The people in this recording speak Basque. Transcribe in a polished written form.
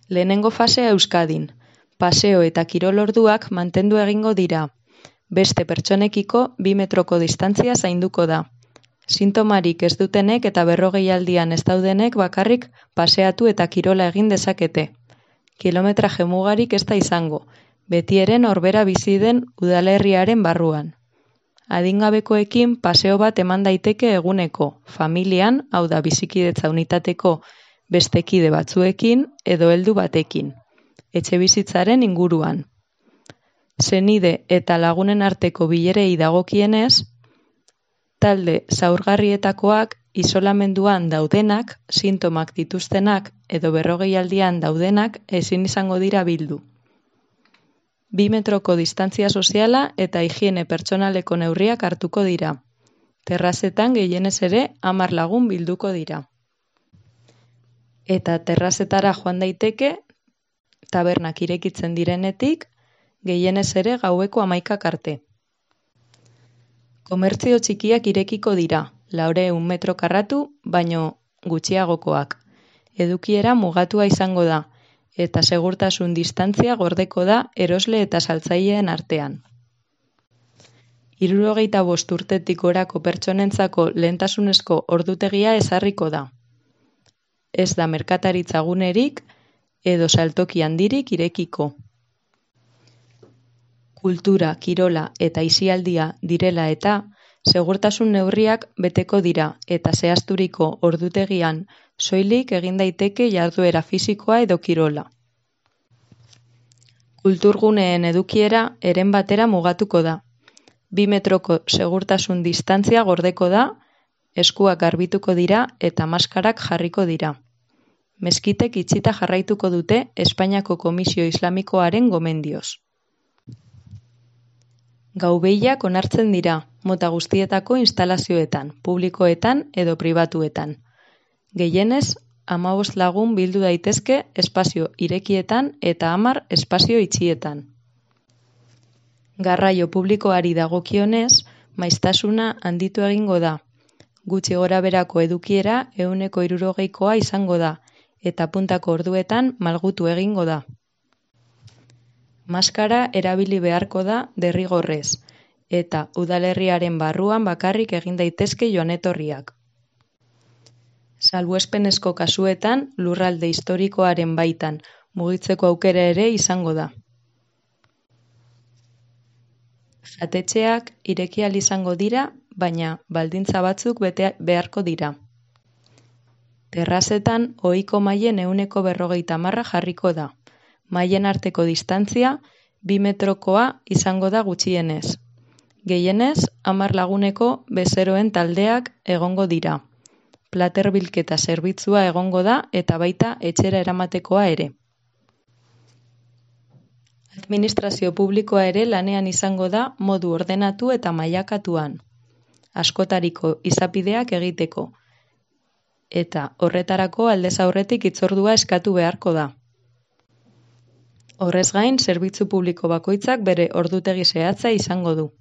Lehenengo fasea Euskadin. Paseo eta kirol orduak mantendu egingo dira. Beste pertsonekiko 2 metroko distantzia zainduko da. Sintomarik ez dutenek eta 40 aldian ez daudenek bakarrik paseatu eta kirola egin dezakete. Kilometraje mugarik ez da izango, beti ere norbera bizi den udalerriaren barruan. Adingabekoekin paseo bat eman daiteke eguneko, familian, hau da bizikidetza unitateko beste kide batzuekin edo heldu batekin, etxebizitzaren inguruan. Senide eta lagunen arteko bilerei dagokienez, talde zaurgarrietakoak isolamenduan daudenak, sintomak dituztenak edo 40 aldian daudenak ezin izango dira bildu. 2 metroko distantzia soziala eta higiene pertsonaleko neurriak hartuko dira. Terrazetan gehienez ere 10 lagun bilduko dira. Eta terrazetara joan daiteke, tabernak irekitzen direnetik, gehienez ere gaueko 11 arte. Komertzio txikiak irekiko dira, 400 metro karratu, baino gutxiagokoak. Edukiera mugatua izango da, eta segurtasun distantzia gordeko da erosle eta saltzaileen artean. 65 urtetik gorako pertsonentzako lehentasunezko ordutegia ezarriko da. Ez da merkataritza gunerik edo saltoki handirik irekiko. Kultura, kirola eta aisialdia direla eta segurtasun neurriak beteko dira eta zehazturiko ordutegian soilik egin daiteke jarduera fisikoa edo kirola. Kulturguneen edukiera eren batera mugatuko da. 2 metroko segurtasun distantzia gordeko da, eskuak garbituko dira eta maskarak jarriko dira. Meskitek itxita jarraituko dute Espainiako Komisio Islamikoaren gomendioz. Gaubeilak onartzen dira, mota guztietako instalazioetan, publikoetan edo pribatuetan. Gehienez, 15 lagun bildu daitezke espazio irekietan eta 10 espazio itxietan. Garraio publikoari dagokionez, maiztasuna handitu egingo da. Gutxi goraberako edukiera 160koa izango da, eta puntako orduetan malgutu egingo da. Maskara erabili beharko da derrigorrez, eta udalerriaren barruan bakarrik egin daitezke joan-etorriak. Salbuespenezko kasuetan, lurralde historikoaren baitan mugitzeko aukera ere izango da. Jatetxeak ireki ahal izango dira, baina baldintza batzuk bete beharko dira. Terrazetan ohiko mailen 150 jarriko da. Mailen arteko distantzia 2 metrokoa izango da gutxienez. Gehienez, 10 laguneko bezeroen taldeak egongo dira. Plater bilketa zerbitzua egongo da eta baita etxera eramatekoa ere. Administrazio publikoa ere lanean izango da modu ordenatu eta mailakatuan. Askotariko izapideak egiteko. Eta horretarako aldez aurretik hitzordua eskatu beharko da. Horrez gain, zerbitzu publiko bakoitzak bere ordutegi zehatza izango du.